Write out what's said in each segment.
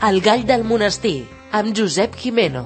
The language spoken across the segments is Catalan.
El gall del monestir, amb Josep Gimeno.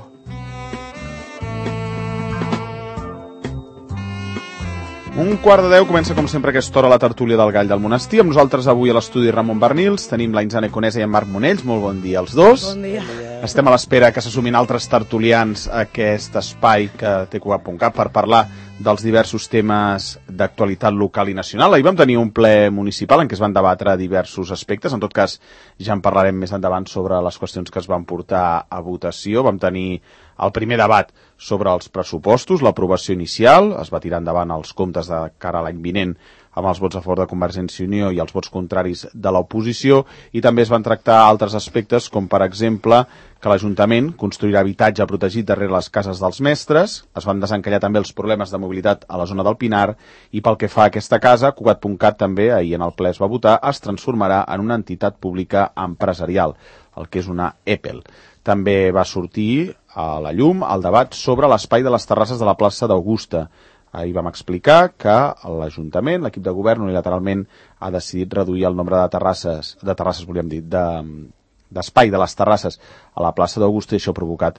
Un quart de 10 comença com sempre aquesta hora la tertúlia del gall del monestir. Amb nosaltres avui a l'estudi Ramon Bernils tenim la Insane Conesa i en Marc Monells. Molt bon dia als dos. Bon dia. Estem a l'espera que se sumin altres tertulians a aquest espai que té Cugat.cat per parlar dels diversos temes d'actualitat local i nacional. Ahir vam tenir un ple municipal en què es van debatre diversos aspectes. En tot cas, ja en parlarem més endavant sobre les qüestions que es van portar a votació. Vam tenir el primer debat sobre els pressupostos, l'aprovació inicial. Es va tirar endavant els comptes de cara a l'any vinent amb els vots a favor de Convergència i Unió i els vots contraris de l'oposició, i també es van tractar altres aspectes, com per exemple que l'Ajuntament construirà habitatge protegit darrere les cases dels mestres. Es van desencallar també els problemes de mobilitat a la zona del Pinar, i pel que fa a aquesta casa, Cugat.cat també, ahir en el ple es va votar, es transformarà en una entitat pública empresarial, el que és una EPEL. També va sortir a la llum el debat sobre l'espai de les terrasses de la plaça d'Augusta. Ahir vam explicar que l'Ajuntament, l'equip de govern, unilateralment ha decidit reduir el nombre de terrasses volíem dir, d'espai de les terrasses a la plaça d'Augusta, i això ha provocat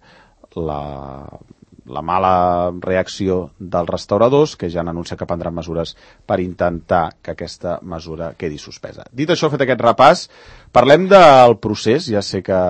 la mala reacció dels restauradors, que ja han anunciat que prendran mesures per intentar que aquesta mesura quedi suspesa. Dit això, fet aquest repàs, parlem del procés. Ja sé que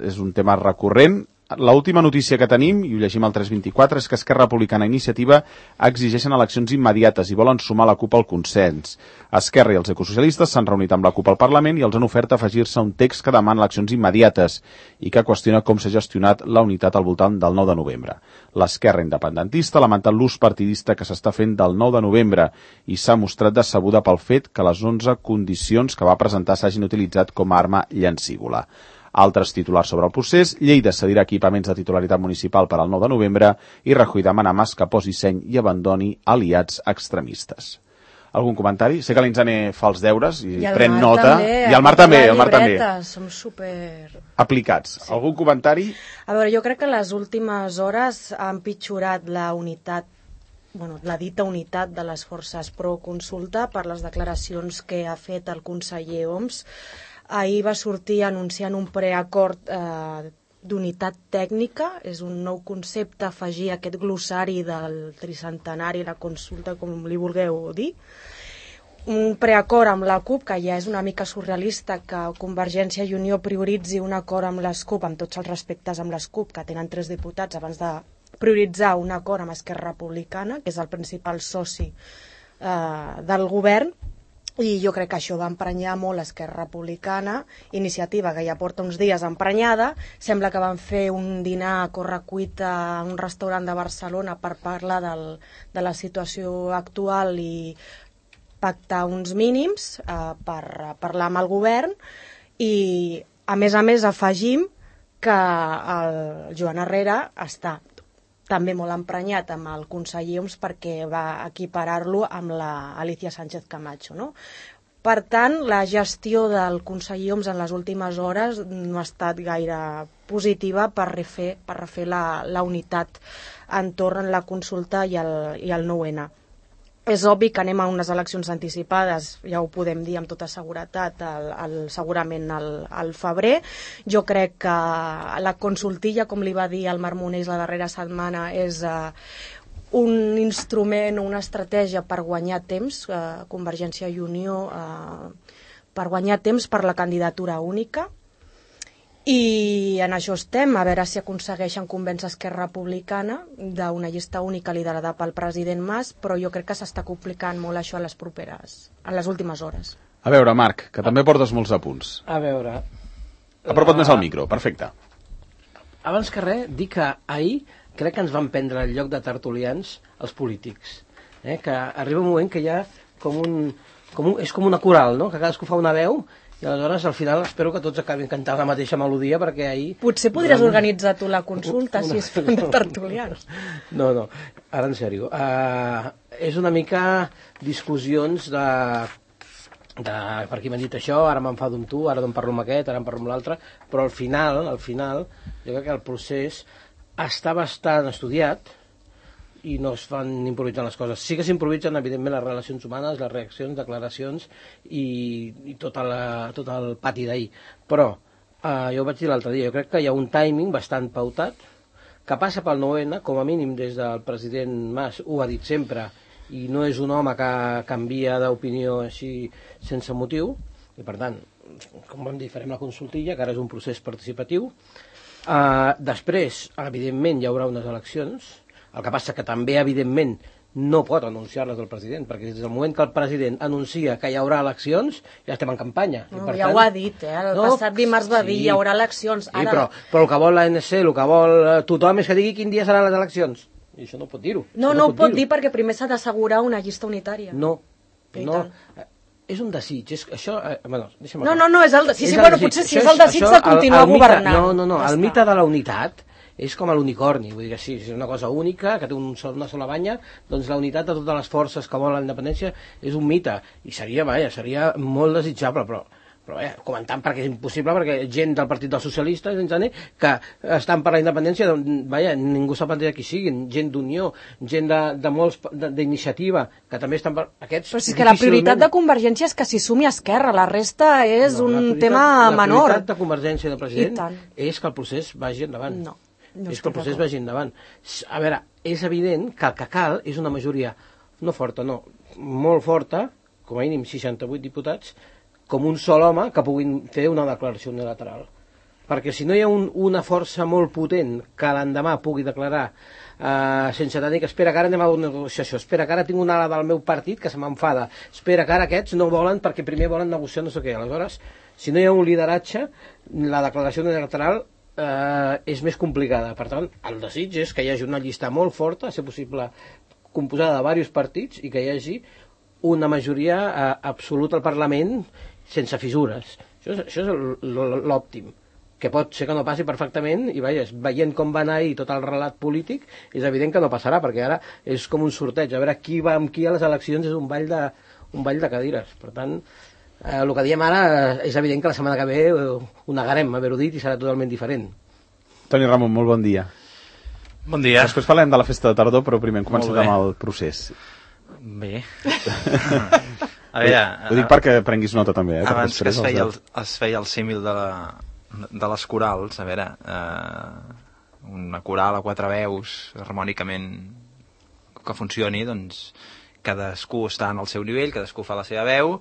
és un tema recurrent. L'última notícia que tenim, i ho llegim al 324, és que Esquerra Republicana i Iniciativa exigeixen eleccions immediates i volen sumar la CUP al consens. Esquerra i els ecosocialistes s'han reunit amb la CUP al Parlament i els han ofert afegir-se un text que demana eleccions immediates i que qüestiona com s'ha gestionat la unitat al voltant del 9 de novembre. L'Esquerra independentista ha lamentat l'ús partidista que s'està fent del 9 de novembre i s'ha mostrat decebuda pel fet que les 11 condicions que va presentar s'hagin utilitzat com a arma llancívola. Altres titulars sobre el procés: Lleida cedirà equipaments de titularitat municipal per al 9 de novembre i Rajoy demana a Mas que posi seny i abandoni aliats extremistes. Algun comentari? Sé que l'Inzane fa els deures i pren nota. I el Marc també. Som super aplicats. Sí. Algun comentari? A veure, jo crec que les últimes hores ha empitjorat la dita unitat de les forces pro-consulta per les declaracions que ha fet el conseller Homs. Ahir va sortir anunciant un preacord d'unitat tècnica. És un nou concepte afegir aquest glossari del tricentenari, la consulta, com li vulgueu dir. Un preacord amb la CUP, que ja és una mica surrealista que Convergència i Unió prioritzi un acord amb les CUP, amb tots els respectes amb les CUP, que tenen 3 diputats, abans de prioritzar un acord amb Esquerra Republicana, que és el principal soci del govern. I jo crec que això va emprenyar molt Esquerra Republicana. Iniciativa, que ja porta uns dies emprenyada, sembla que van fer un dinar a correcuita a un restaurant de Barcelona per parlar de la situació actual i pactar uns mínims per parlar amb el govern. I a més afegim que el Joan Herrera està també molt emprenyat amb el conseller Homs perquè va equiparar-lo amb la Alicia Sánchez Camacho, no? Per tant, la gestió del conseller Homs en les últimes hores no ha estat gaire positiva per refer la unitat entorn la consulta i el 9-N. És obvi que anem a unes eleccions anticipades, ja ho podem dir amb tota seguretat, segurament al febrer. Jo crec que la consultilla, com li va dir el Marc Monells la darrera setmana, és un instrument o una estratègia per guanyar temps, Convergència i Unió, per guanyar temps per la candidatura única. I en això estem, a veure si aconsegueixen convèncer Esquerra Republicana d'una llista única liderada pel president Mas, però jo crec que s'està complicant molt això a les últimes hores. A veure, Marc, que també portes molts apunts. A veure... Apropa't més al micro, perfecte. Abans que res, dir que ahir crec que ens van prendre el lloc de tertulians els polítics. Que arriba un moment que hi ha és com una coral, no? Que cadascú fa una veu. I aleshores, al final, espero que tots acabin cantant la mateixa melodia, perquè ahir... Potser podries organitzar tu la consulta, si es fan de tertulians. No, ara en sèrio. És una mica discussions per qui m'han dit això, ara m'enfado amb tu, ara em parlo amb aquest, ara em parlo amb l'altre, però al final, jo crec que el procés està bastant estudiat, i no es fan improvisant les coses. Sí que s'improvisen, evidentment, les relacions humanes, les reaccions, declaracions i tot el pati d'ahir. Però Jo ho vaig dir l'altre dia, jo crec que hi ha un timing bastant pautat, que passa pel 9-N, com a mínim des del president Mas, ho ha dit sempre, i no és un home que canvia d'opinió així sense motiu, i per tant, com vam dir, farem la consultilla, que ara és un procés participatiu. Després, evidentment, hi haurà unes eleccions, el que passa que també, evidentment, no pot anunciar-les el president, perquè des del moment que el president anuncia que hi haurà eleccions, ja estem en campanya. No, ja ho ha dit, el passat dimarts va dir hi haurà eleccions. Sí, però el que vol l'ANC, el que vol tothom és que digui quin dia seran les eleccions. I això no pot dir-ho. No ho pot dir perquè primer s'ha d'assegurar una llista unitària. No. És un desig, això... deixa'm no, és el desig. Sí, bueno, potser sí, és el desig de continuar governant. No, el mite de la unitat és com l'unicorni, vull dir que sí, és una cosa única, que té una sola banya, doncs la unitat de totes les forces que volen la independència és un mite, i seria molt desitjable, però comentant perquè és impossible, perquè gent del Partit dels Socialistes, que estan per la independència, ningú sap de qui siguin, gent d'Unió, gent de molts d'iniciativa, que també estan per aquests... Però és que la prioritat de Convergència és que s'hi sumi Esquerra, la resta és un tema menor. La prioritat de Convergència i del president és que el procés vagi endavant. És que el procés vagi endavant. A veure, és evident que el que cal és una majoria molt forta, com a mínim 68 diputats, com un sol home que puguin fer una declaració unilateral. Perquè si no hi ha una força molt potent que l'endemà pugui declarar sense tenir que espera que ara anem a una negociació, espera que ara tinc una ala del meu partit que se m'enfada, espera que ara aquests no volen perquè primer volen negociar no sé què. Aleshores, si no hi ha un lideratge, la declaració unilateral és més complicada. Per tant, el desig és que hi hagi una llista molt forta, a ser possible composada de diversos partits, i que hi hagi una majoria absoluta al Parlament sense fissures. Això és l'òptim, que pot ser que no passi perfectament, i veient com va anar ahir tot el relat polític, és evident que no passarà, perquè ara és com un sorteig, a veure qui va amb qui a les eleccions, és un ball de cadires. Per tant, el que diem ara és evident que la setmana que ve ho negarem, haver-ho dit, i serà totalment diferent. Toni Ramon, molt bon dia. Bon dia. Després parlem de la festa de tardor, però primer hem començat amb el procés. Bé. A veure... Ho dic perquè prenguis nota també. Abans que es feia el símil de les corals, a veure, una coral a 4 veus, harmònicament que funcioni, doncs cadascú està en el seu nivell, cadascú fa la seva veu.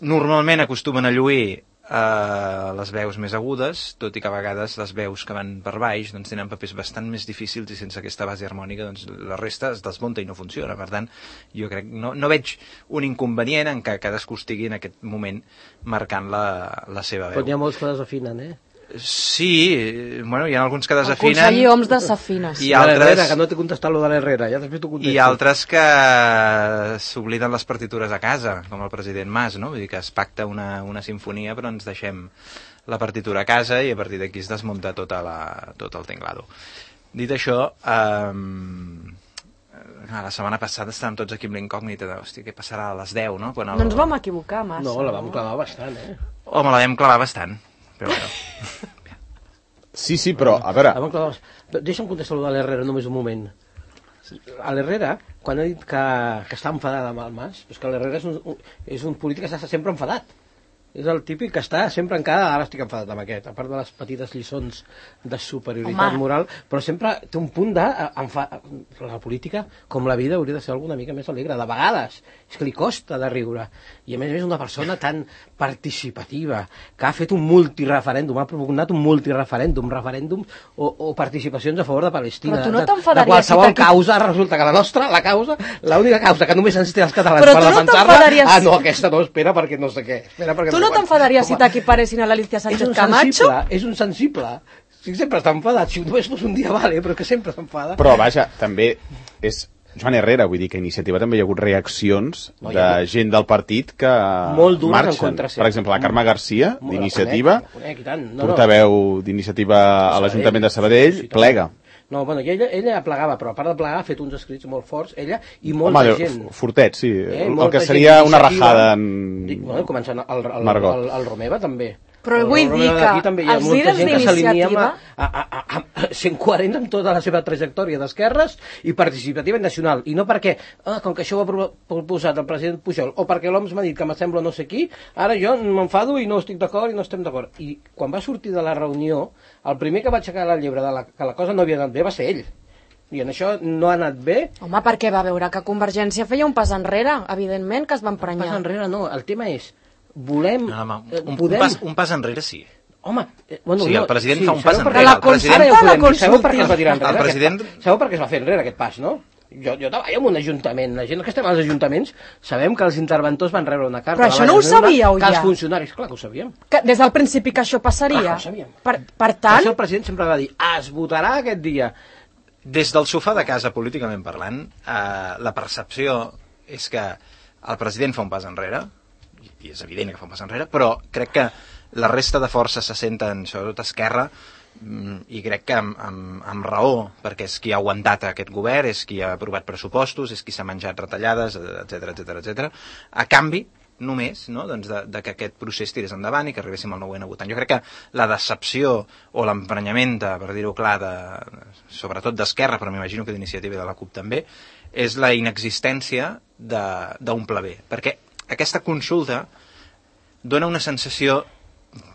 Normalment acostumen a lluir les veus més agudes, tot i que a vegades les veus que van per baix doncs tenen papers bastant més difícils, i sense aquesta base harmònica doncs la resta es desmunta i no funciona. Per tant, jo crec no veig un inconvenient en que cadascú estigui en aquest moment marcant la seva veu. Però n'hi ha molts que desafinen, Sí, bueno, hi ha alguns que desafinen. El conseller Homs desafina. I altres... que no t'he contestat lo de l'Herrera, ja després t'ho contesto. I altres que s'obliden les partitures a casa, com el president Mas, no? Vull dir que es pacta una sinfonia, però ens deixem la partitura a casa i a partir d'aquí es desmunta tot el tinglado. Dit això, la setmana passada estàvem tots aquí amb l'incògnita de, hòstia, què passarà a les 10, no? No ens vam equivocar massa. No, la vam clavar bastant, Home, la vam clavar bastant. Però bueno. Sí, però, a veure... Deixa'm contestar allò de l'Herrera només un moment. A l'Herrera, quan ha dit que està enfadat amb el Mas, és que l'Herrera és un polític que està sempre enfadat. És el típic que està sempre encara, ara estic enfadat amb aquest, a part de les petites lliçons de superioritat moral, però sempre té un punt de... La política, com la vida, hauria de ser alguna mica més alegre. De vegades, és que li costa de riure. I a més una persona tan participativa, que ha fet un multireferèndum, ha propugnat un multireferèndum, referèndums o participacions a favor de Palestina. Però tu no t'enfadaries... De qualsevol causa, resulta que la causa, l'única causa que només ens té els catalans per defensar-la... No, aquesta no, espera perquè no sé què. Tu no t'enfadaries si t'equiparessin a l'Alicia Sánchez Camacho? És un sensible. Si sempre està enfadat, si només fos un dia vale, però que sempre s'enfada. Però vaja, també és Joan Herrera, vull dir que a Iniciativa també hi ha hagut reaccions de gent del partit que marxen. Per exemple, la Carme Garcia, d'Iniciativa, portaveu d'Iniciativa a l'Ajuntament de Sabadell, plega. No, bueno, ella plegava, però a part de plegar ha fet uns escrits molt forts, ella i molta gent. Fortet, sí. El que seria una rajada en... Bueno, començant el Romeva també. Però vull dir que els líders d'iniciativa... Sent coherents amb tota la seva trajectòria d'esquerres i participativa i nacional. I no perquè, com que això ho ha proposat el president Pujol, o perquè l'OMS m'ha dit que m'assembla no sé qui, ara jo m'enfado i no estic d'acord i no estem d'acord. I quan va sortir de la reunió, el primer que va aixecar la llebre que la cosa no havia anat bé va ser ell. I en això no ha anat bé. Home, perquè va veure que Convergència feia un pas enrere, evidentment que es va emprenyar. Un pas enrere no, el tema és volem... Un pas enrere sí. Home, sí, el president fa un pas enrere. Sabeu per què es va tirar enrere? Sabeu per què es va fer enrere aquest pas, no? Jo treballo en un ajuntament, la gent que estem als ajuntaments sabem que els interventors van rebre una carta. Però això no ho sabíeu ja? Que els funcionaris, clar que ho sabíem. Que des del principi que això passaria? Clar que ho sabíem. Per tant... Això el president sempre va dir, es votarà aquest dia. Des del sofà de casa, políticament parlant, la percepció és que el president fa un pas enrere, i és evident que fa un pas enrere, però crec que la resta de forces se senten, sobretot Esquerra, i crec que amb raó, perquè és qui ha aguantat aquest govern, és qui ha aprovat pressupostos, és qui s'ha menjat retallades, etc. A canvi, només, no? Doncs de que aquest procés tirés endavant i que arribéssim al 9ena votant. Jo crec que la decepció o l'emprenyament, per dir-ho clar, sobretot d'Esquerra, però m'imagino que d'Iniciativa i de la CUP també, és la inexistència d'un pla B. Perquè aquesta consulta dona una sensació,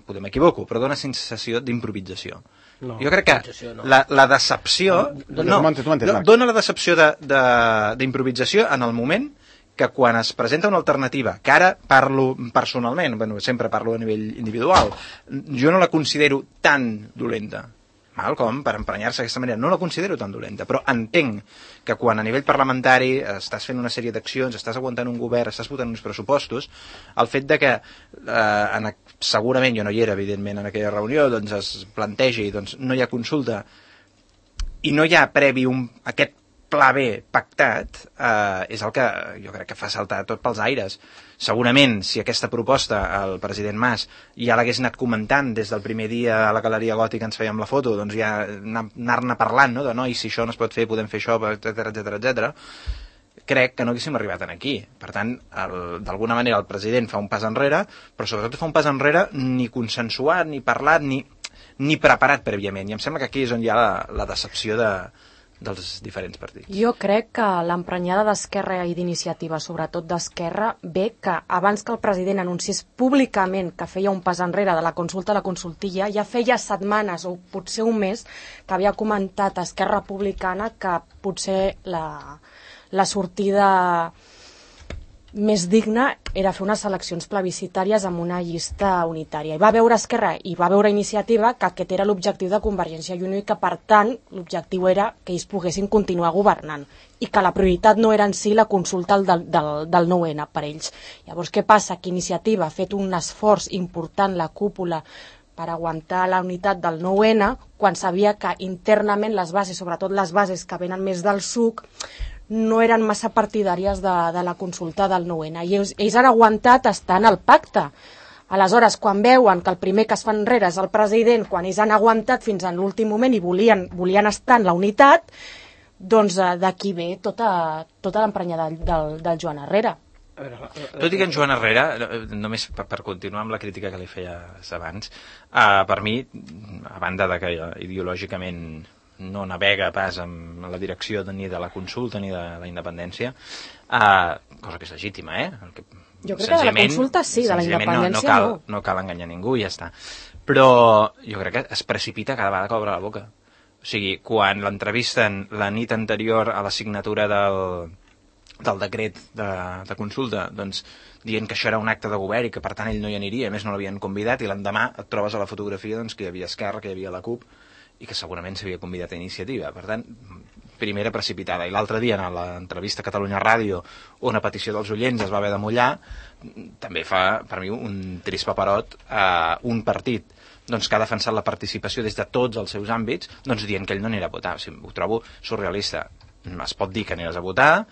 potser m'equivoco, però dona sensació d'improvisació. No, jo crec que la decepció... Dona la decepció d'improvisació en el moment que quan es presenta una alternativa, que ara parlo personalment, sempre parlo a nivell individual, jo no la considero tan dolenta, com per emprenyar-se d'aquesta manera, no la considero tan dolenta, però entenc que quan a nivell parlamentari estàs fent una sèrie d'accions, estàs aguantant un govern, estàs votant uns pressupostos, el fet de que segurament jo no hi era, evidentment, en aquella reunió, doncs es plantegi, doncs no hi ha consulta i no hi ha previ aquest pla B pactat, és el que jo crec que fa saltar tot pels aires. Segurament, si aquesta proposta el president Mas ja l'hagués anat comentant des del primer dia a la Galeria Gòtica ens fèiem la foto, doncs ja anar-ne parlant, no? De no, i si això no es pot fer, podem fer això, etc. Crec que no haguéssim arribat aquí. Per tant, d'alguna manera el president fa un pas enrere, però sobretot fa un pas enrere ni consensuat, ni parlat, ni preparat prèviament. I em sembla que aquí és on hi ha la decepció dels diferents partits. Jo crec que l'emprenyada d'Esquerra i d'Iniciativa, sobretot d'Esquerra, ve que abans que el president anunciés públicament que feia un pas enrere de la consulta a la consultilla, ja feia setmanes o potser un mes que havia comentat a Esquerra Republicana que potser la sortida més digna era fer unes eleccions plebiscitàries amb una llista unitària. I va veure Esquerra i va veure Iniciativa que aquest era l'objectiu de Convergència i Unió i que, per tant, l'objectiu era que ells poguessin continuar governant i que la prioritat no era en si la consulta del 9N per ells. Llavors, què passa? Que Iniciativa ha fet un esforç important, la cúpula, per aguantar la unitat del 9N, quan sabia que internament les bases, sobretot les bases que venen més del SUC, no eren massa partidàries de la consulta del 9N. I ells han aguantat estant al pacte. Aleshores, quan veuen que el primer que es fa enrere és el president, quan ells han aguantat fins a l'últim moment i volien estar en la unitat, doncs d'aquí ve tota l'emprenyada del Joan Herrera. Tot i que en Joan Herrera, només per continuar amb la crítica que li feies abans, per mi, a banda de que ideològicament no navega pas en la direcció ni de la consulta ni de la independència, cosa que és legítima, Jo crec que de la consulta sí, de la independència no. No cal enganyar ningú i ja està. Però jo crec que es precipita cada vegada que obre la boca. O sigui, quan l'entrevisten la nit anterior a la signatura del decret de consulta, doncs dient que això era un acte de govern i que per tant ell no hi aniria, a més no l'havien convidat, i l'endemà et trobes a la fotografia doncs, que hi havia Esquerra, que hi havia la CUP, i que segurament s'havia convidat a Iniciativa. Per tant, primera precipitada. I l'altre dia, en l'entrevista a Catalunya Ràdio, on a petició dels oients es va haver de mullar, també fa, per mi, un trist paperot a un partit doncs, que ha defensat la participació des de tots els seus àmbits, doncs dient que ell no anirà a votar. O sigui, ho trobo surrealista. Es pot dir que aniràs a votar,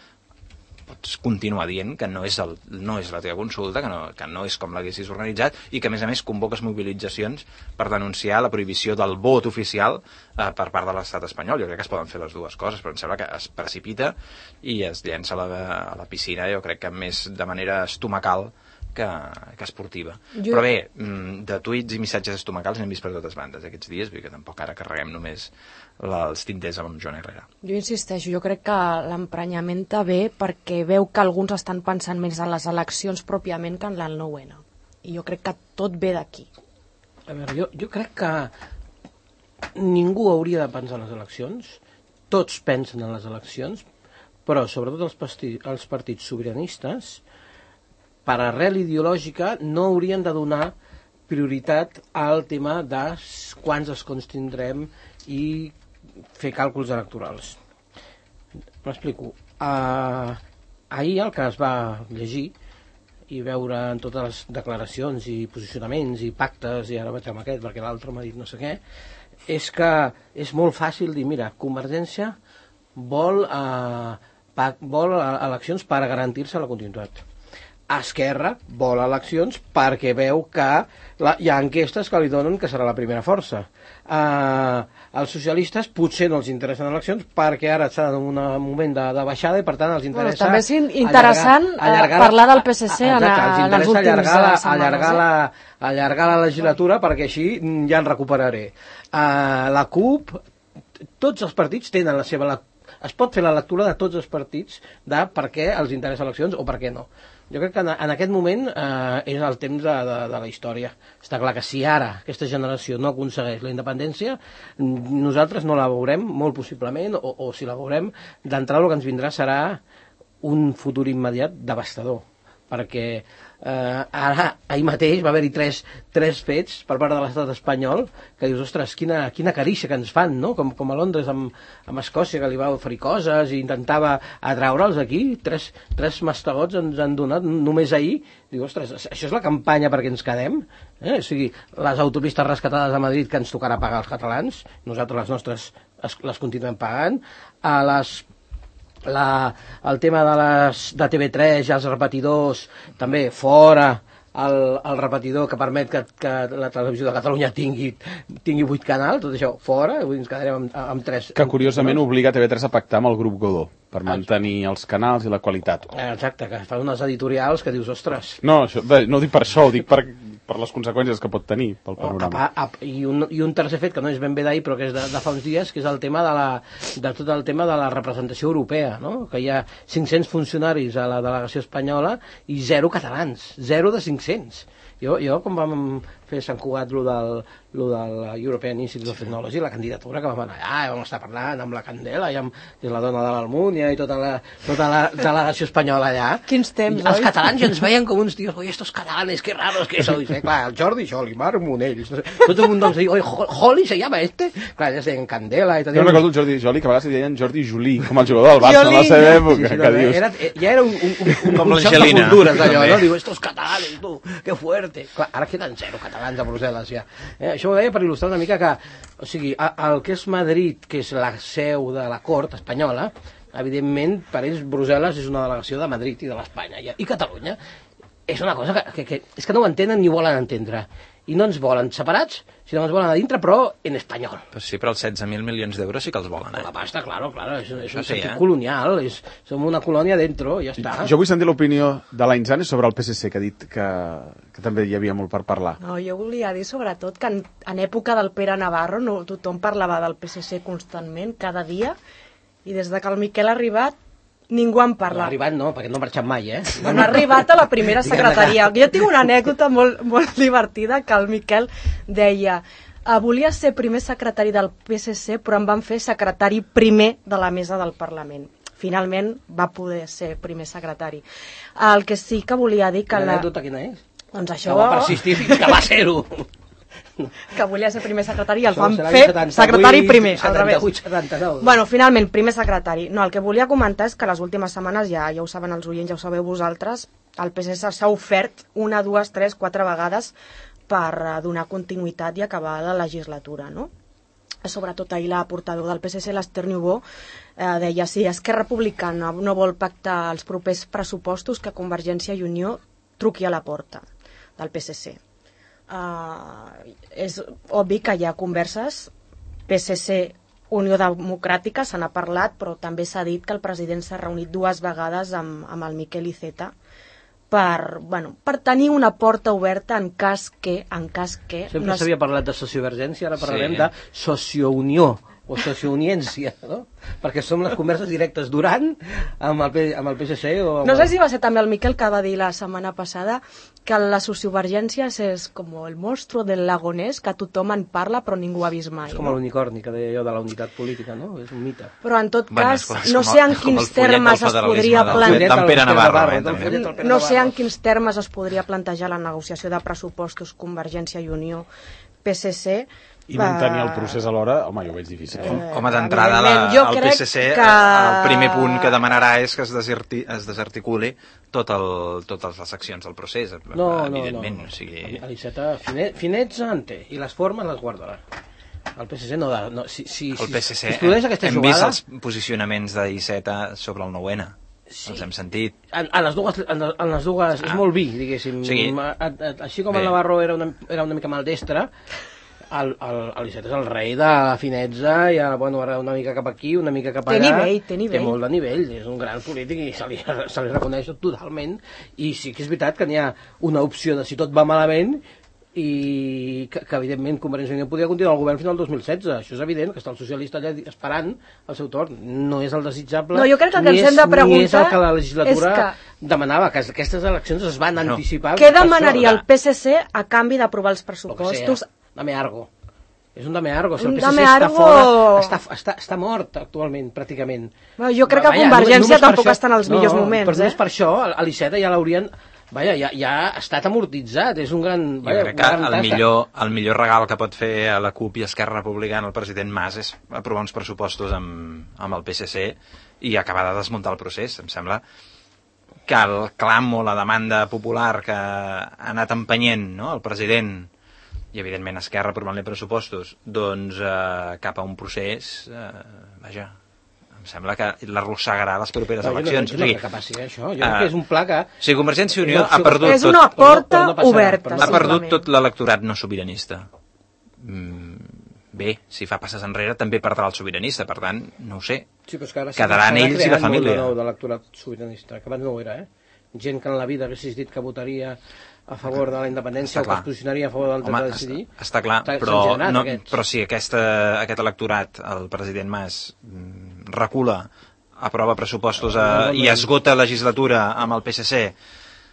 pots continuar dient que no és la teva consulta, que no és com l'haguessis organitzat i que a més convoques mobilitzacions per denunciar la prohibició del vot oficial per part de l'estat espanyol. Jo crec que es poden fer les dues coses, però em sembla que es precipita i es llença a la piscina, jo crec que més de manera estomacal que esportiva. Però bé, de tuits i missatges estomacals n'hem vist per totes bandes aquests dies, vull dir que tampoc ara carreguem només els tinters amb Joan Herrera. Jo insisteixo, jo crec que l'emprenyament ve perquè veu que alguns estan pensant més en les eleccions pròpiament que en el 9-N. I jo crec que tot ve d'aquí. A veure, jo crec que ningú hauria de pensar en les eleccions, tots pensen en les eleccions, però sobretot els partits sobiranistes, per arrel ideològica, no haurien de donar prioritat al tema de quants escons tindrem i fer càlculs electorals. M'explico. Ahir el que es va llegir i veure en totes les declaracions i posicionaments i pactes, i ara vaig amb aquest perquè l'altre m'ha dit no sé què, és que és molt fàcil dir, mira, Convergència vol eleccions per garantir-se la continuïtat. Esquerra vol eleccions perquè veu que hi ha enquestes que li donen que serà la primera força. Els socialistes potser no els interessen eleccions perquè ara estan en un moment de baixada i per tant els interessa... També és interessant parlar del PSC en els últims setmanes. Allargar la legislatura perquè així ja en recuperaré. La CUP, tots els partits tenen la seva... Es pot fer la lectura de tots els partits de per què els interessa eleccions o per què no. Jo crec que en aquest moment és el temps de la història. Està clar que si ara aquesta generació no aconsegueix la independència, nosaltres no la veurem, molt possiblement, o si la veurem, d'entrada el que ens vindrà serà un futur immediat devastador. Perquè ahir mateix va haver-hi tres fets per part de l'estat espanyol que dius, ostres, quina carícia que ens fan, no? Com a Londres amb Escòcia, que li va oferir coses i intentava atraure'ls aquí. Tres mastegots ens han donat només ahir. Diu, ostres, això és la campanya perquè ens quedem? O sigui, les autopistes rescatades a Madrid que ens tocarà pagar els catalans, nosaltres les nostres les continuem pagant, el tema de TV3 i els repetidors, també fora el repetidor que permet que la televisió de Catalunya tingui 8 canals, tot això fora, avui ens quedarem amb 3. Que curiosament obliga TV3 a pactar amb el grup Godó per mantenir els canals i la qualitat. Exacte, que fan unes editorials que dius, ostres... No, no ho dic per això, ho dic per les conseqüències que pot tenir pel panorama. I un tercer fet, que no és ben bé d'ahir, però que és de fa uns dies, que és el tema de tot el tema de la representació europea, no? Que hi ha 500 funcionaris a la delegació espanyola i 0 catalans, 0 de 500. Jo quan vam fer Sant Cugat lo del European Institute of Technology, la candidatura que vam anar allà, vam estar parlant amb la Candela, que és la dona de l'Almúnia, i tota la delegació espanyola allà. Quins temps, els catalans ja ens veien com uns tios, oi, estos catalanes, que raros que son. Clar, el Jordi Joli, Marc Monell, tot el mundo ens diu, oi, Joli se llama este? Clar, ja es deien Candela. Jo recordo el Jordi Joli, que a vegades li deien Jordi Juli, com el jugador del Barça en la seva època, que dius... Ja era un xoc de cultures, allò, no? Diu, estos catalanes, tu, que fuerte. Clar, ara queden 0 catalans a Brussel·les, ja. Això ho deia per il·lustrar una mica que, o sigui, el que és Madrid, que és la seu de la cort espanyola, evidentment, per ells Brussel·les és una delegació de Madrid i de l'Espanya. I Catalunya és una cosa que és que no ho entenen ni volen entendre. I no ens volen separats, sinó que ens volen a dintre, però en espanyol. Però sí, però els 16.000 milions d'euros sí que els volen, La pasta, claro, és un sentit colonial, som una colònia dentro, ja està. Jo vull sentir l'opinió de la Inzane sobre el PSC, que ha dit que també hi havia molt per parlar. No, jo volia dir sobretot que en època del Pere Navarro tothom parlava del PSC constantment, cada dia, i des de que el Miquel ha arribat ningú en parla. No ha arribat, no, perquè no ha marxat mai, No ha arribat a la primera secretaria. Jo tinc una anècdota molt divertida que el Miquel deia volia ser primer secretari del PSC, però em van fer secretari primer de la mesa del Parlament. Finalment va poder ser primer secretari. El que sí que volia dir que... L'anècdota quina és? Doncs això... Que va persistir fins que va ser-ho. Que volia ser primer secretari i el van fer secretari primer, al revés. 79. Bueno, finalment, primer secretari. No, el que volia comentar és que les últimes setmanes, ja ho saben els oients, ja ho sabeu vosaltres, el PSC s'ha ofert 1, 2, 3, 4 vegades per donar continuïtat i acabar la legislatura, no? Sobretot ahir la portador del PSC, l'Esther Niubó, deia, si Esquerra Republicana no vol pactar els propers pressupostos, que Convergència i Unió truqui a la porta del PSC. És obvi que hi ha converses, PSC, Unió Democràtica, se n'ha parlat, però també s'ha dit que el president s'ha reunit 2 vegades amb el Miquel Iceta per tenir una porta oberta en cas que... Sempre s'havia parlat de sociovergència, ara parlarem de sociounió o sociouniència, no? Perquè som les converses directes durant amb el PSC o... No sé si va ser també el Miquel que va dir la setmana passada que la sociovergència és com el monstru del lago Ness, que tothom en parla però ningú ha vist mai. És com l'unicorni, que deia jo, de la unitat política, no? És un mite. Però en tot cas, no sé en quins termes es podria no sé en quins termes es podria plantejar la negociació de pressupostos Convergència i Unió PSC i mantenir el procés alhora, home, jo ho veig difícil. Home, d'entrada, el PSC, el primer punt que demanarà és que es desarticuli totes les accions del procés, evidentment. No. O sigui... L'Iceta, finets en té, i les formes les guardarà. El PSC no... El PSC, hem vist els posicionaments d'Iceta sobre el 9-N. Sí. Els hem sentit. En les dues és molt vi, diguéssim. Sí. Així com el Navarro era una mica maldestre, l'Iceta és el rei de la finezza i ara una mica cap aquí, una mica cap allà. Té nivell. Té molt de nivell, és un gran polític i se li reconeix totalment. I sí que és veritat que n'hi ha una opció de si tot va malament i que evidentment Convergència i Unió podia continuar al govern fins al 2016. Això és evident, que està el socialista allà esperant el seu torn. No és el desitjable, no, jo crec que ens hem de preguntar ni és el que la legislatura demanava, que aquestes eleccions es van anticipar. Què demanaria el PSC a canvi d'aprovar els pressupostos? Dame algo. És un dame algo. Si el PSC està fora, està mort actualment, pràcticament. Jo crec que Convergència tampoc està en els millors moments. Però només per això, l'Iceta ja l'haurien... ja ha estat amortitzat, és un gran... Jo crec que el millor regal que pot fer a la CUP i Esquerra Republicana el president Mas és aprovar uns pressupostos amb el PSC i acabar de desmuntar el procés. Em sembla que el clam o la demanda popular que ha anat empenyent, no?, el president i evidentment Esquerra aprovant-li pressupostos, doncs cap a un procés, em sembla que l'arrossegarà les properes eleccions. Jo no crec que passi això, jo crec que és un pla que... O sigui, Convergència i Unió ha perdut tot... És una porta oberta. Ha perdut tot l'electorat no sobiranista. Bé, si fa passes enrere també perdrà el sobiranista, per tant, no ho sé. Quedaran ells i la família. De l'electorat sobiranista, que abans no ho era, gent que en la vida haguessis dit que votaria a favor de la independència o que es posicionaria a favor del dret a decidir. Està clar, però si aquest electorat, el president Mas, recula, aprova pressupostos i esgota legislatura amb el PSC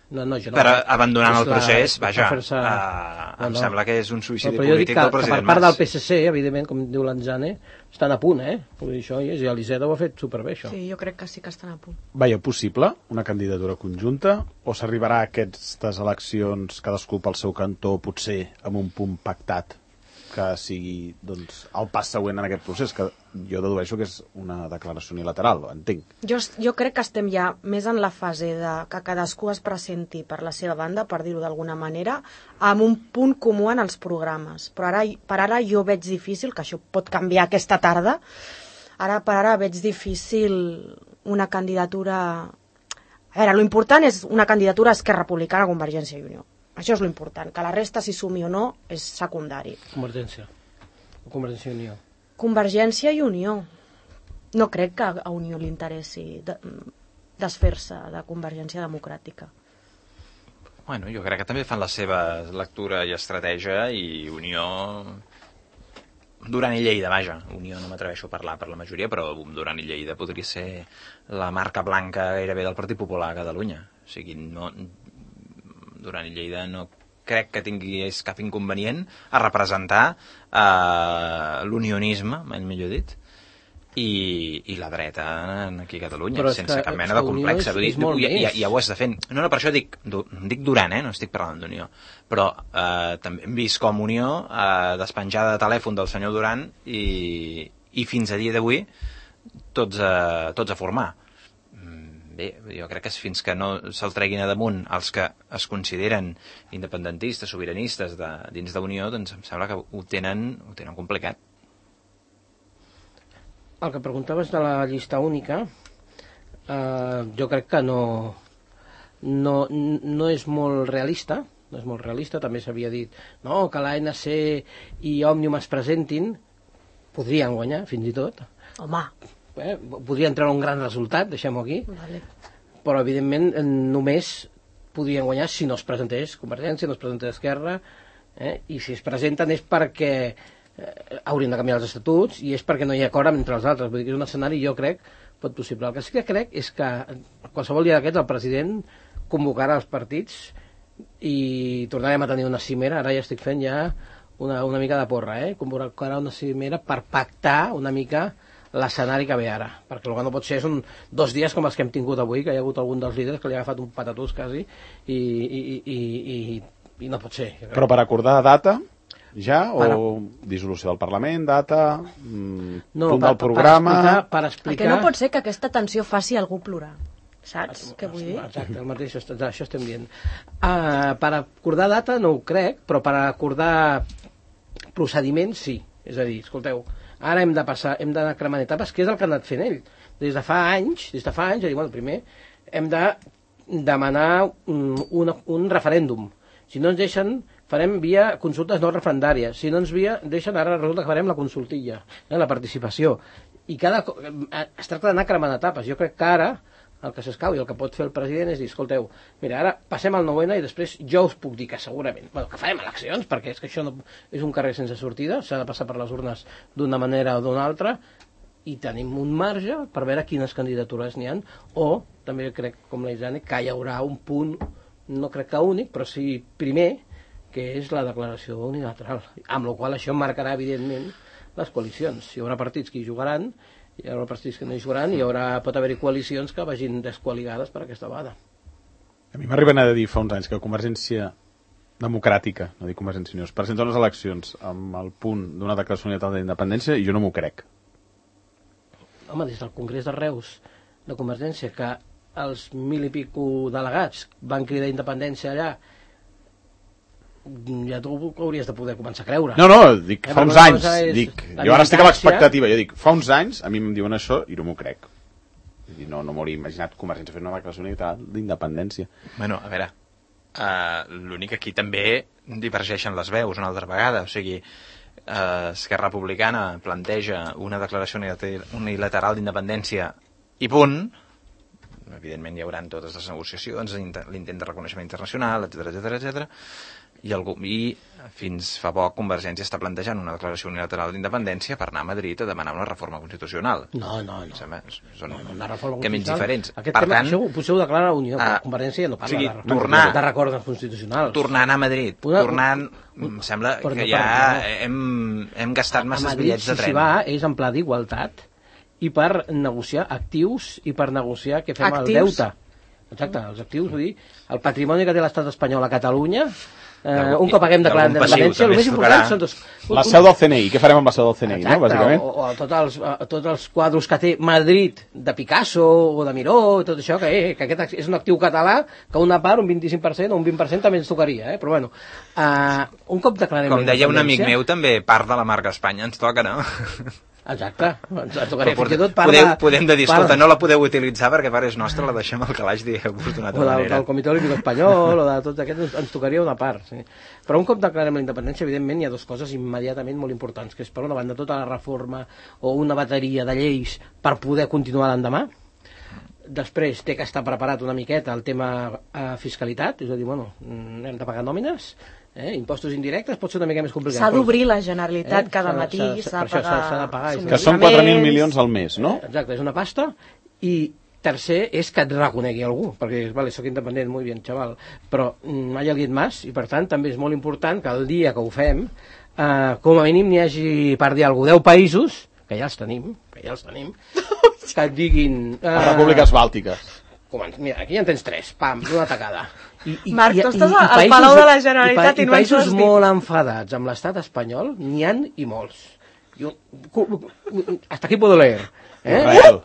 per abandonant el procés, em sembla que és un suïcidi polític del president Mas. Per part del PSC, evidentment, com diu l'Anzane, estan a punt, Vull dir, això, i l'Iceta ho ha fet superbé, això. Sí, jo crec que sí que estan a punt. Veia possible una candidatura conjunta o s'arribarà a aquestes eleccions cadascú pel seu cantó, potser amb un punt pactat que sigui doncs, el pas següent en aquest procés, que jo dedueixo que és una declaració unilateral, entenc. Jo crec que estem ja més en la fase de que cadascú es presenti per la seva banda, per dir-ho d'alguna manera, amb un punt comú en els programes. Però per ara jo veig difícil, que això pot canviar aquesta tarda, per ara veig difícil una candidatura... A veure, l'important és una candidatura a Esquerra Republicana a Convergència i Unió. Això és l'important, que la resta, si sumi o no, és secundari. Convergència i Unió. Convergència i Unió. No crec que a Unió li interessi desfer-se de Convergència Democràtica. Bueno, jo crec que també fan la seva lectura i estratègia i Unió... Duran i Lleida, vaja. Unió no m'atreveixo a parlar per la majoria, però Duran i Lleida podria ser la marca blanca gairebé del Partit Popular a Catalunya. O sigui, no... Duran i Lleida no crec que tingués cap inconvenient a representar l'unionisme, millor dit, i la dreta aquí a Catalunya, sense cap mena de complex. Ja ho has de fer. No, per això dic Duran, no estic parlant d'Unió. Però també hem vist com Unió despenjada de telèfon del senyor Duran i fins a dia d'avui tots a formar. Bé, jo crec que fins que no se'l treguin a damunt els que es consideren independentistes, sobiranistes dins d'Unió, doncs em sembla que ho tenen complicat. El que preguntaves de la llista única, jo crec que no és molt realista, també s'havia dit que l'ANC i Òmnium es presentin, podrien guanyar fins i tot. Home, podrien treure un gran resultat, deixem-ho aquí, vale. Però evidentment només podien guanyar si no es presentés Convergència, no es presentés Esquerra, i si es presenten és perquè haurien de canviar els estatuts i és perquè no hi ha acord entre els altres. Vull dir que és un escenari, jo crec, pot possible. El que sí que crec és que qualsevol dia d'aquests el president convocarà els partits i tornarem a tenir una cimera. Ara ja estic fent ja una mica de porra, convocarà una cimera per pactar una mica l'escenari que ve ara, perquè el que no pot ser són 2 dies com els que hem tingut avui, que hi ha hagut algun dels líders que li ha agafat un patatús quasi i no pot ser. Però per acordar data ja, o dissolució del Parlament, data, punt del programa... Per explicar... El que no pot ser que aquesta tensió faci algú plorar, saps què vull dir? Exacte, el mateix, això estem dient. Per acordar data no ho crec, però per acordar procediments sí. És a dir, escolteu, ara hem d'anar cremant etapes, que és el que ha anat fent ell. Des de fa anys, primer hem de demanar un referèndum. Si no ens deixen, farem via consultes no referendàries. Si no ens deixen, ara resulta que farem la consultilla, la participació. I es tracta d'anar cremant etapes. Jo crec que ara el que s'escau i el que pot fer el president és dir, escolteu, mira, ara passem al 9-N i després jo us puc dir que segurament, que farem eleccions, perquè és que això no és un carrer sense sortida, s'ha de passar per les urnes d'una manera o d'una altra, i tenim un marge per veure quines candidatures n'hi ha, o també crec, com la Isane, que hi haurà un punt, no crec que únic, però sí primer, que és la declaració unilateral, amb la qual això marcarà, evidentment, les coalicions. Hi haurà partits que hi jugaran, hi haurà partits que no hi jugaran, pot haver-hi coalicions que vagin descoaligades per aquesta vegada. A mi m'arriben a dir fa uns anys que Convergència Democràtica, no dic Convergència Unió, es presenta unes eleccions amb el punt d'una declaració unilateral d'independència i jo no m'ho crec. Home, des del Congrés de Reus de Convergència, que els 1.000 i pico delegats van cridar independència allà, ja tu hauries de poder començar a creure. No, dic, fa uns anys, jo ara estic a l'expectativa, jo dic, fa uns anys a mi em diuen això i no m'ho crec. No m'hauria imaginat Convergència fent una declaració unilateral d'independència. Bueno, a veure, l'únic aquí també divergeixen les veus una altra vegada, o sigui, Esquerra Republicana planteja una declaració unilateral d'independència i punt. Evidentment hi haurà totes les negociacions, l'intent de reconeixement internacional, etc. I fins fa poc Convergència està plantejant una declaració unilateral d'independència per anar a Madrid a demanar una reforma constitucional. No. Són una reforma camins diferents. Aquest tema, això potser ho declara la Unió, Convergència ja no parla de records constitucionals. Tornar a anar a Madrid, em sembla que ja hem gastat masses bitllets de tren. Si va és en pla d'igualtat i per negociar actius i per negociar què fem al deute. Exacte, els actius, vull dir, el patrimoni que té l'estat espanyol a Catalunya, un cop haguem declarat independència, el més important són dos... La seu del CNI, què farem amb la seu del CNI, no, bàsicament? O tots els quadros que té Madrid de Picasso o de Miró, tot això, que aquest és un actiu català, que una part, un 25% o un 20% també ens tocaria, però bueno, un cop declarem com deia un amic meu, també part de la marca Espanya ens toca, no? Exacte, ens tocaria fins i tot podem dir, escolta, no la podeu utilitzar perquè part és nostra, la deixem al calaix, dieu-vos d'una altra manera. O del Comitè Olímpic Espanyol, o de tots aquests, ens tocaria una part, sí. Però un cop declarem la independència, evidentment, hi ha dues coses immediatament molt importants, que és, per una banda, tota la reforma o una bateria de lleis per poder continuar l'endemà. Després té que estar preparat una miqueta el tema fiscalitat, és a dir, hem de pagar nòmines, impostos indirectes pot ser una mica més complicat. S'ha d'obrir la Generalitat cada matí, s'ha de pagar. Que són 4.000 milions al mes, no? Exacte, és una pasta. I tercer és que et reconegui algú, perquè, vale, soc independent, molt bé, xaval, però mai alguien más, i per tant també és molt important que el dia que ho fem, com a mínim n'hi hagi, per dir alguna cosa, 10 països, que ja els tenim, que et diguin... Repúbliques Bàltiques. Mira, aquí ja en tens 3, pam, d'una tacada. Marc, tu estàs al Palau de la Generalitat i no ens ho has dit. I països molt enfadats amb l'estat espanyol n'hi ha i molts. Hasta aquí puedo leer. Israel.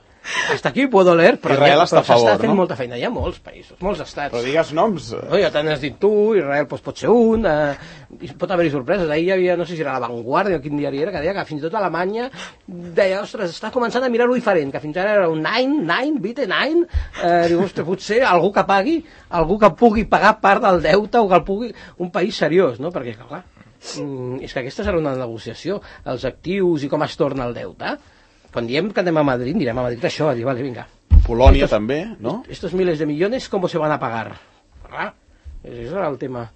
Hasta aquí puedo leer, però està a favor, s'està fent no? molta feina. Hi ha molts països, molts estats. Però digues noms. Ja te n'has dit tu, Israel pot ser un, pot haver-hi sorpreses. Ahir hi havia, no sé si era La Vanguardia o quin diari era, que deia que fins i tot Alemanya deia, ostres, està començant a mirar-ho diferent, que fins ara era un 9, bitte 9, diu, ostres, potser algú que pagui, algú que pugui pagar part del deute o que el pugui, un país seriós, no? Perquè, clar, és que aquesta serà una negociació, els actius i com es torna el deute. Quan diem que anem a Madrid, direm a Madrid això, a dir, vale, vinga. Polònia també, no? Estos miles de millones, ¿cómo se van a pagar? Clar, això era el tema.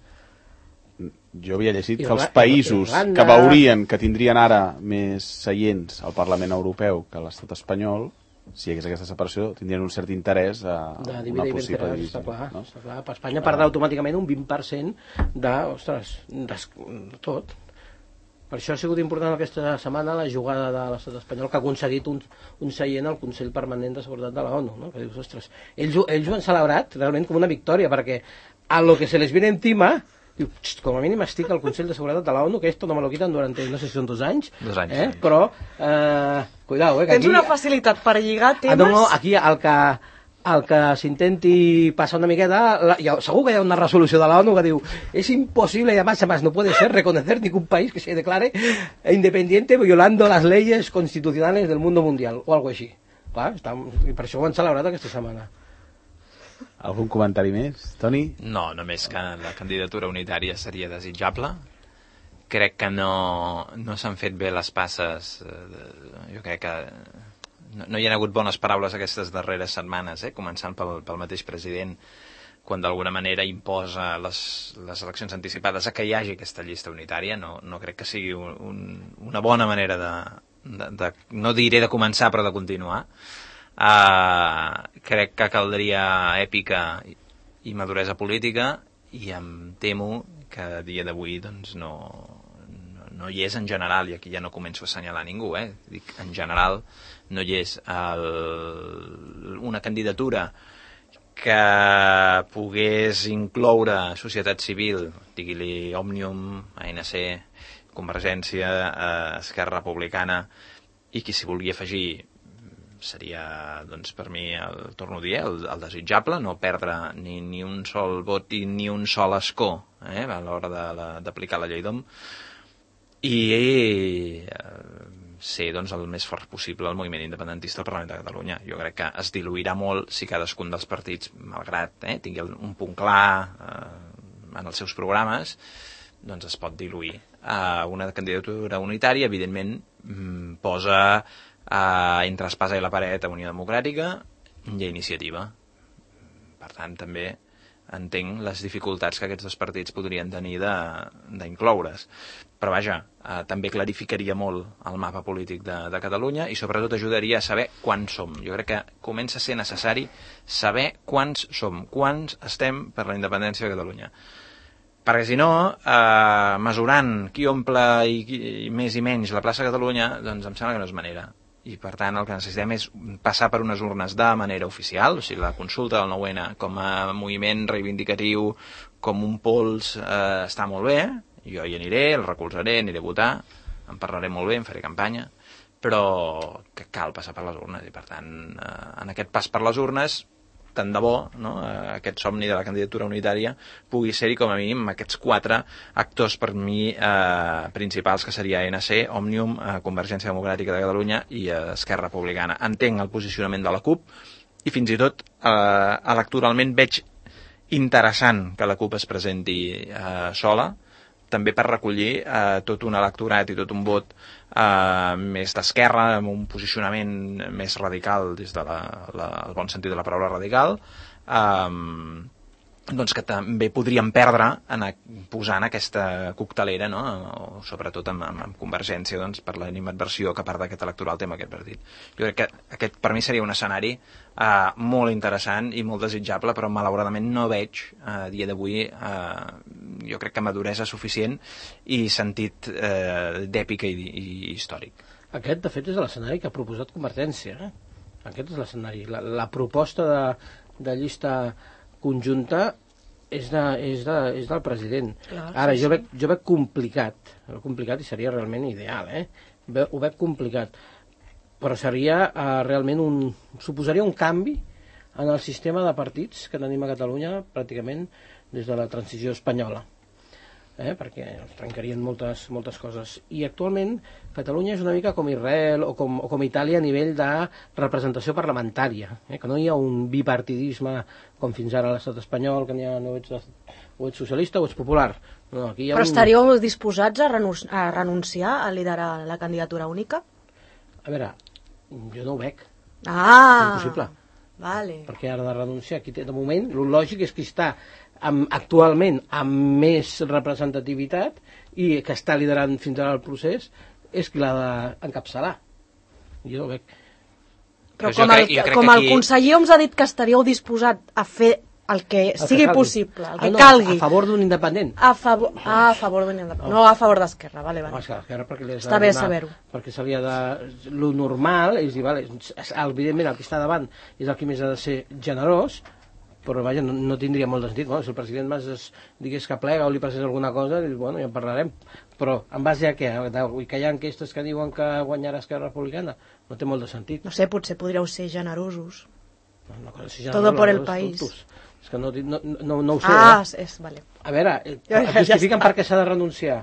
Jo havia llegit que els països que veurien que tindrien ara més seients al Parlament Europeu que l'estat espanyol, si hi hagués aquesta separació, tindrien un cert interès a una possible divisió. Està clar. Per Espanya perdrà automàticament un 20% de tot. Per això ha sigut important aquesta setmana la jugada de l'estat espanyol, que ha aconseguit un seient al Consell Permanent de Seguretat de la ONU, no? Que dius, ostres, ells ho han celebrat realment com una victòria, perquè a lo que se les viene encima, diu, com a mínim estic al Consell de Seguretat de la ONU, que esto no me lo quitan durante, no sé si són 2 anys. 2 anys, sí. Però, cuidao, que tens aquí... una facilitat per lligar temes... No, aquí el que s'intenti passar una miqueta, segur que hi ha una resolució de la ONU que diu es imposible y además no puede ser reconocer ningún país que se declare independiente violando las leyes constitucionales del mundo mundial o algo així. Clar, i per això ho han celebrat aquesta setmana. Algun comentari més, Toni? No, només que la candidatura unitària seria desitjable. Crec que no s'han fet bé les passes. Jo crec que no hi ha hagut bones paraules aquestes darreres setmanes, començant pel mateix president, quan d'alguna manera imposa les eleccions anticipades a que hi hagi aquesta llista unitària. No crec que sigui una bona manera de no diré de començar, però de continuar. Crec que caldria èpica i maduresa política, i em temo que a dia d'avui doncs, no hi és en general, i aquí ja no començo a assenyalar ningú, dic en general, no hi és una candidatura que pogués incloure societat civil, digui-li Òmnium, ANC, Convergència, Esquerra Republicana, i qui s'hi vulgui afegir seria, doncs, per mi, torno a dir, el desitjable, no perdre ni un sol vot i ni un sol escó a l'hora d'aplicar la llei d'OM, i ser doncs, el més fort possible el moviment independentista al Parlament de Catalunya. Jo crec que es diluirà molt si cadascun dels partits, malgrat tingui un punt clar en els seus programes, doncs es pot diluir. Una candidatura unitària, evidentment, posa entre espasa i la paret a Unió Democràtica i a Iniciativa. Per tant, també entenc les dificultats que aquests dos partits podrien tenir d'incloure's. Però vaja, també clarificaria molt el mapa polític de Catalunya, i sobretot ajudaria a saber quants som. Jo crec que comença a ser necessari saber quants som, quants estem per la independència de Catalunya. Perquè si no, mesurant qui omple i més i menys la plaça de Catalunya, doncs em sembla que no és manera. I per tant el que necessitem és passar per unes urnes de manera oficial, o sigui, la consulta del 9-N com a moviment reivindicatiu, com un pols, està molt bé, jo hi aniré, el recolzaré, aniré a votar, en parlaré molt bé, en faré campanya, però que cal passar per les urnes, i per tant, en aquest pas per les urnes, tant de bo, no, aquest somni de la candidatura unitària pugui ser-hi com a mínim aquests 4 actors per mi principals, que seria ANC, Òmnium, Convergència Democràtica de Catalunya i Esquerra Republicana. Entenc el posicionament de la CUP, i fins i tot electoralment veig interessant que la CUP es presenti sola, també per recollir tot un electorat i tot un vot més d'esquerra, amb un posicionament més radical, des del bon sentit de la paraula radical, doncs que també podríem perdre posant aquesta coctelera, no? O sobretot amb Convergència, doncs, per l'animadversió que part d'aquest electoral té amb aquest partit. Jo crec que aquest per mi seria un escenari molt interessant i molt desitjable, però malauradament no veig a dia d'avui jo crec que maduresa suficient i sentit d'èpica i històric. Aquest, de fet, és l'escenari que ha proposat Convergència. Aquest és l'escenari. La proposta de llista conjunta és del president. Clar, ara, sí. Jo veig complicat i seria realment ideal, ho veig complicat, però seria realment suposaria un canvi en el sistema de partits que tenim a Catalunya pràcticament des de la transició espanyola, perquè es trencarien moltes coses. I actualment Catalunya és una mica com Israel o com Itàlia a nivell de representació parlamentària, que no hi ha un bipartidisme com fins ara a l'estat espanyol, que n'hi ha o ets socialista o ets popular. No, aquí hi ha Però estaríeu disposats a renunciar a liderar la candidatura única? A veure, jo no ho veig. Ah! Impossible. Vale. Perquè ara de renunciar, de moment, el lògic és que està actualment amb més representativitat i que està liderant fins ara el procés és qui l'ha d'encapçalar. Jo ho veig. Però com el conseller Homs ha dit que estaríeu disposat a fer el que sigui possible, el que calgui. A favor d'un independent. A favor d'un independent. No a favor d'Esquerra, vale. Esquerra, perquè està bé saber-ho. Perquè se li ha de... Lo normal és dir, vale, evidentment el que està davant és el que més ha de ser generós, però vaja, no tindria molt de sentit. Bueno, si el president Mas digués que plega o li passés alguna cosa, bueno, ja en parlarem. Però en base a què? Que hi ha enquestes que diuen que guanyarà Esquerra Republicana? No té molt de sentit. No sé, potser podríeu ser generosos. Una cosa així, Todo por el país. És que no ho sé. Vale. A veure, justifiquen per què s'ha de renunciar.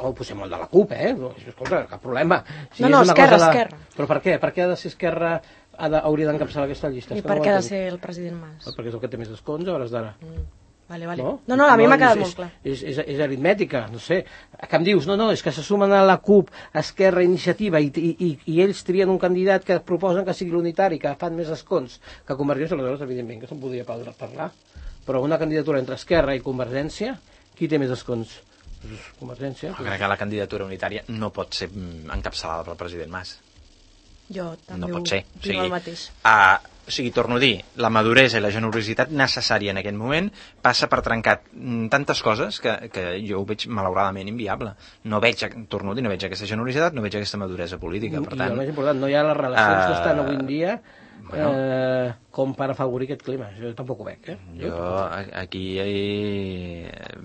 Ho posem molt de la CUP, Escolta, cap problema. Esquerra. Però per què? Per què ha de ser Esquerra hauria d'encapçalar aquesta llista? I per què ha de ser el president Mas? Perquè és el que té més escons a hores d'ara. Vale. No, a mi m'ha quedat molt clar. És aritmètica, no sé. Que em dius, no, és que se sumen a la CUP, Esquerra, Iniciativa, i ells trien un candidat que proposen que sigui l'unitari, que fan més escons que Convergència, aleshores, evidentment, que se'n podria parlar. Però una candidatura entre Esquerra i Convergència, qui té més escons? Convergència. Jo crec que la candidatura unitària no pot ser encapçalada pel president Mas. Jo també no pot ser. El mateix. O sigui, torno a dir, la maduresa i la generositat necessària en aquest moment passa per trencar tantes coses que jo ho veig malauradament inviable. No veig, torno a dir, no veig aquesta generositat, no veig aquesta maduresa política. Per tant, I el més important, no hi ha les relacions que estan avui en dia com per afavorir aquest clima. Jo tampoc ho veig. Jo aquí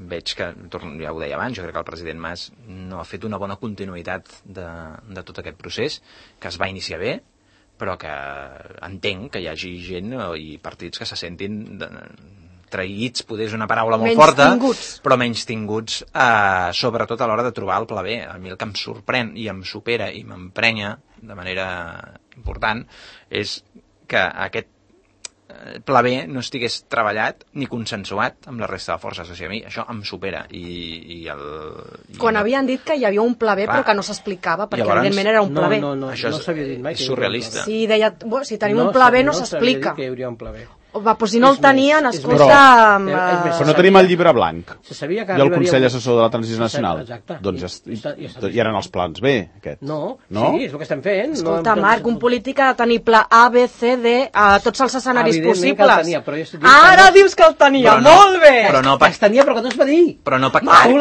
veig que, ja ho deia abans, jo crec que el president Mas no ha fet una bona continuïtat de tot aquest procés, que es va iniciar bé, però que entenc que hi hagi gent i partits que se sentin traïts, poder és una paraula molt forta, però menys tinguts, sobretot a l'hora de trobar el pla B. A mi el que em sorprèn i em supera i m'emprenya de manera important és que aquest pla B no estigués treballat ni consensuat amb la resta de forces. O sigui, a mi això em supera. Quan havien dit que hi havia un pla B, però que no s'explicava, perquè evidentment era un pla B. Això no s'havia dit mai. És surrealista. Si deia, si tenim un pla B no s'explica. No s'havia dit que hi hauria un pla B. Pues si no el tenien, escolta... Però no tenim el llibre blanc. I el Consell Assessor de la Transició Nacional. Exacte. Doncs hi eren els plans B, aquests. No? Sí, és el que estem fent. Escolta, Marc, un polític ha de tenir pla A, B, C, D, a tots els escenaris possibles. Ara dius que el tenia, molt bé! Es tenia, però que no es va dir. Però no pactar.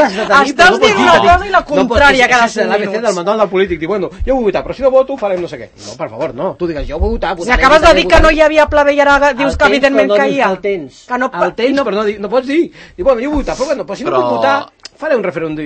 Estàs dient una cosa i la contrària cada 5 minuts. L'ABC del manual del polític diu, bueno, jo vull votar, però si no voto farem no sé què. No, per favor, no. Tu digues, jo vull votar. Si acabes de dir que no hi havia pla B i ara dius que evidentment que hi ha. El tens, però no pots dir. I bueno, jo vull votar, però bueno, si no puc votar, faré un referèndum.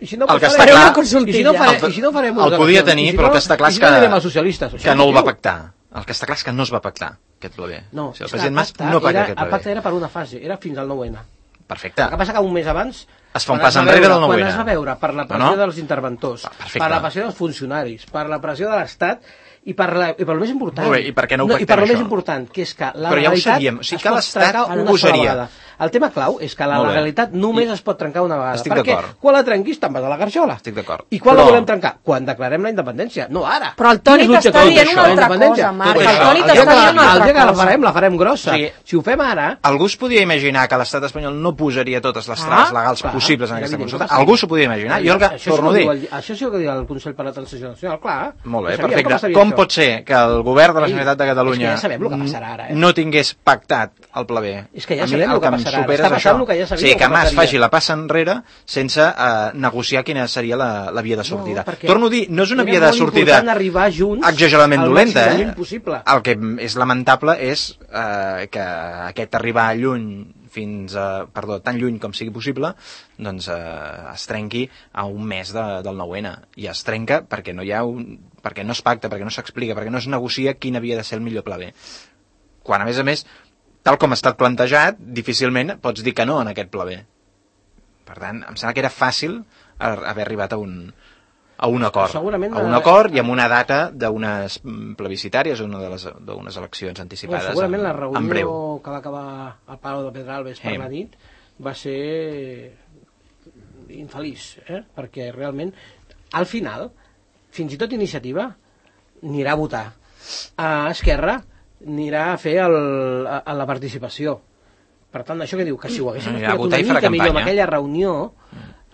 I si no faré una consultilla. I si no farem el podia tenir, però el que està clar és que no el va pactar. El que està clar és que no es va pactar, aquest pla B. No, el president Mas no pacta aquest pla B. El pacte era per una fase, era fins al 9-N. Perfecte. El que passa que un mes abans es fa un pas enrere del 9-N. Quan es va veure per la pressió dels interventors, per la pressió dels funcionaris, per la pressió de l'Estat, i per lo més important, i per què no ho pactem, això? Més important, que és que la legalitat es pot trencar una sola vegada. El tema clau és que la legalitat només es pot trencar una vegada. Estic d'acord. Perquè quan la trenquis te'n vas a la garjola. Estic d'acord. I quan la volem trencar? Quan declarem la independència, no ara. Però el Toni t'està dient una altra cosa, Marc. El Toni t'està dient una altra cosa. El dia que la farem grossa. Si ho fem ara... Algú es podia imaginar que l'estat espanyol no posaria totes les traves legals possibles en aquesta consulta? Algú s'ho podia imaginar? Jo el que torno a dir... Això sí que diu el Consell per la Transició Nacional, clar. Molt bé, perfecte. Com pot ser que el govern de la Generalitat de Catalunya no tingués pactat el pla B? És que ja sabem el que passarà ara. Està passant el que ja sabíem. Sí, que Mas faci la passa enrere sense negociar quina seria la via de sortida. Torno a dir, no és una via de sortida exageradament dolenta. El que és lamentable és que aquest arribar lluny tan lluny com sigui possible, doncs es trenqui a un mes del 9-N. I es trenca perquè perquè no es pacta, perquè no s'explica, perquè no es negocia quin havia de ser el millor pla B. Quan, a més, tal com ha estat plantejat, difícilment pots dir que no en aquest pla B. Per tant, em sembla que era fàcil haver arribat a un acord. A un acord i amb una data d'unes plebiscitàries o d'unes eleccions anticipades en breu. Segurament la reunió que va acabar al Palau de Pedralbes per la nit va ser infeliç, perquè realment, al final, fins i tot Iniciativa anirà a votar. A Esquerra anirà a fer la participació, Per tant, això que diu, que si ho haguéssim Ja, explicat votar una i fer la mica millor en campanya. aquella reunió,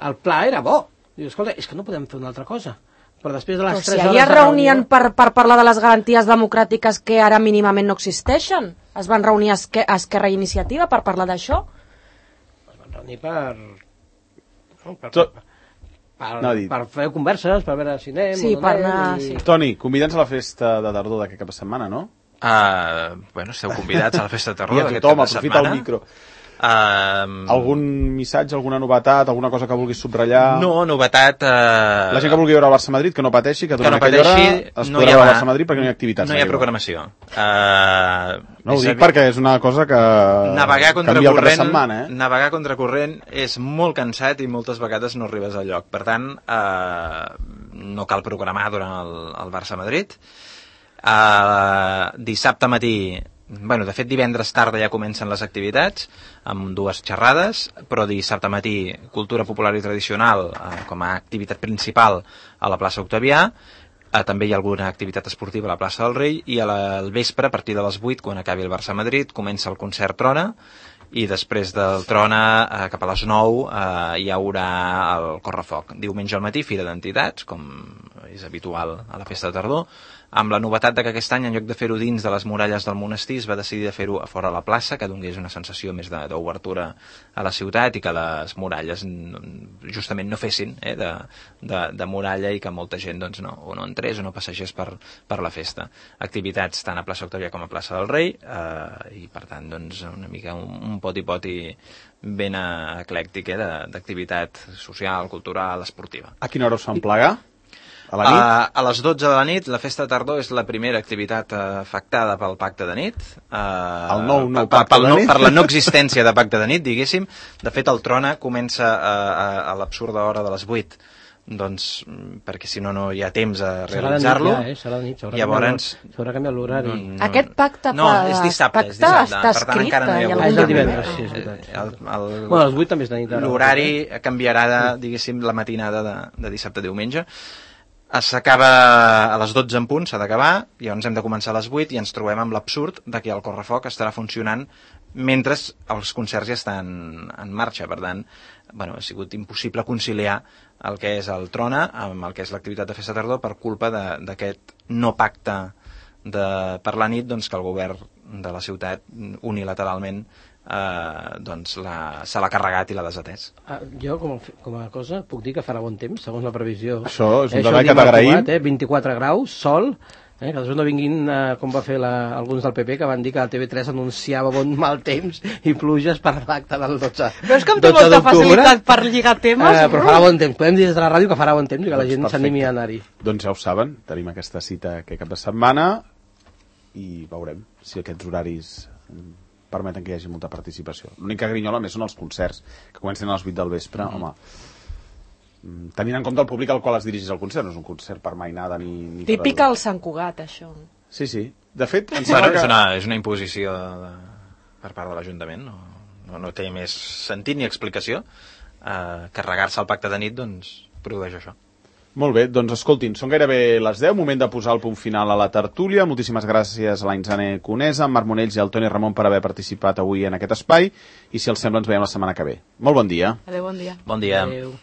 el pla era bo. Diu, escolta, és que no podem fer una altra cosa. Però després de les Però 3 si hores ahir es de reunien reunió... per parlar de les garanties democràtiques que ara mínimament no existeixen. Es van reunir Esquerra i Iniciativa per parlar d'això. Es van reunir per fer converses, per veure si anem Sí, o no per anem, anar... i... Sí. Toni, convida'ns a la festa de tardor d'aquest cap de setmana, no? Bueno, esteu convidats a la festa de I tardor a d'aquest tothom, cap de aprofita el setmana. micro. Algun missatge, alguna novetat, alguna cosa que vulguis subratllar? No, novetat... La gent que vulgui veure el Barça-Madrid, que no pateixi, que durant no aquella hora pateixi, es no podrà hi veure haurà- el Barça-Madrid perquè no hi ha activitats. No hi ha gaire. programació. No ho dic perquè és una cosa que Navegar canvia el cap de contracorrent, setmana, navegar contracorrent és molt cansat i moltes vegades no arribes al lloc. Per tant, no cal programar durant el Barça-Madrid. Dissabte matí, bueno, de fet divendres tarda ja comencen les activitats amb 2 xerrades, però dissabte matí cultura popular i tradicional com a activitat principal a la plaça Octavià. També hi ha alguna activitat esportiva a la plaça del Rei i al vespre, a partir de les 8, quan acabi el Barça-Madrid, comença el concert Trona i després del Trona, cap a les 9, hi haurà el Correfoc. Diumenge al matí, fira d'entitats, com és habitual a la festa de tardor, amb la novetat de que aquest any, en lloc de fer-ho dins de les muralles del monestir, es va decidir de fer-ho a fora a la plaça, que donés una sensació més d'obertura a la ciutat i que les muralles justament no fessin de muralla i que molta gent doncs, no entrés o no passegés per la festa. Activitats tant a plaça Octavià com a plaça del Rei i per tant doncs, una mica un poti-poti ben eclèctic d'activitat social, cultural, esportiva. A quina hora us fan plegar? A la nit? A les 12 de la nit, la festa de tardor és la primera activitat afectada pel pacte de nit. El nou pacte de nit? Per la no existència de pacte de nit, diguéssim. De fet, el Trona comença a l'absurda hora de les 8, doncs, perquè si no, no hi ha temps a realitzar-lo. Serà de nit, s'haurà canviat l'horari. Aquest pacte és dissabte, està per tant escrit encara no hi ha en hagut. algun És el document? divendres, sí, és veritat. Bueno, les 8 també és de nit. L'horari canviarà, diguéssim, la matinada de dissabte a diumenge. S'acaba a les 12 en punt, s'ha d'acabar, llavors hem de començar a les 8 i ens trobem amb l'absurd de que el Correfoc estarà funcionant mentre els concerts ja estan en marxa. Per tant, bueno, ha sigut impossible conciliar el que és el Trona amb el que és l'activitat de festa tardor per culpa d'aquest no pacte per la nit, doncs, que el govern de la ciutat unilateralment doncs se l'ha carregat i l'ha desatès. Jo, com a cosa, puc dir que farà bon temps, segons la previsió. Això és un detall que t'agraïm. 24 graus, sol, que després no vinguin, com va fer alguns del PP, que van dir que la TV3 anunciava bon mal temps i pluges per l'acte del 12. Però és que em té molta facilitat per lligar temes. Però farà bon temps, podem dir des de la ràdio que farà bon temps i que la gent s'animi a anar-hi. Doncs ja ho saben, tenim aquesta cita aquest cap de setmana i veurem si aquests horaris permeten que hi hagi molta participació. L'única grinyola més són els concerts, que comencen a les 8 del vespre. Home, tenint en compte el públic al qual es dirigeix el concert, no és un concert per mainada ni Típic al Sant Cugat, això. Sí, sí. De fet, em Bueno, sembla que... és una imposició per part de l'Ajuntament, no té més sentit ni explicació. Carregar-se el pacte de nit doncs produeix això. Molt bé, doncs escoltin, són gairebé les 10, moment de posar el punt final a la tertúlia. Moltíssimes gràcies a l'Ainzane Conesa, a Marc Monells i al Toni Ramon per haver participat avui en aquest espai i si els sembla ens veiem la setmana que ve. Molt bon dia. Adéu, bon dia. Bon dia. Adéu.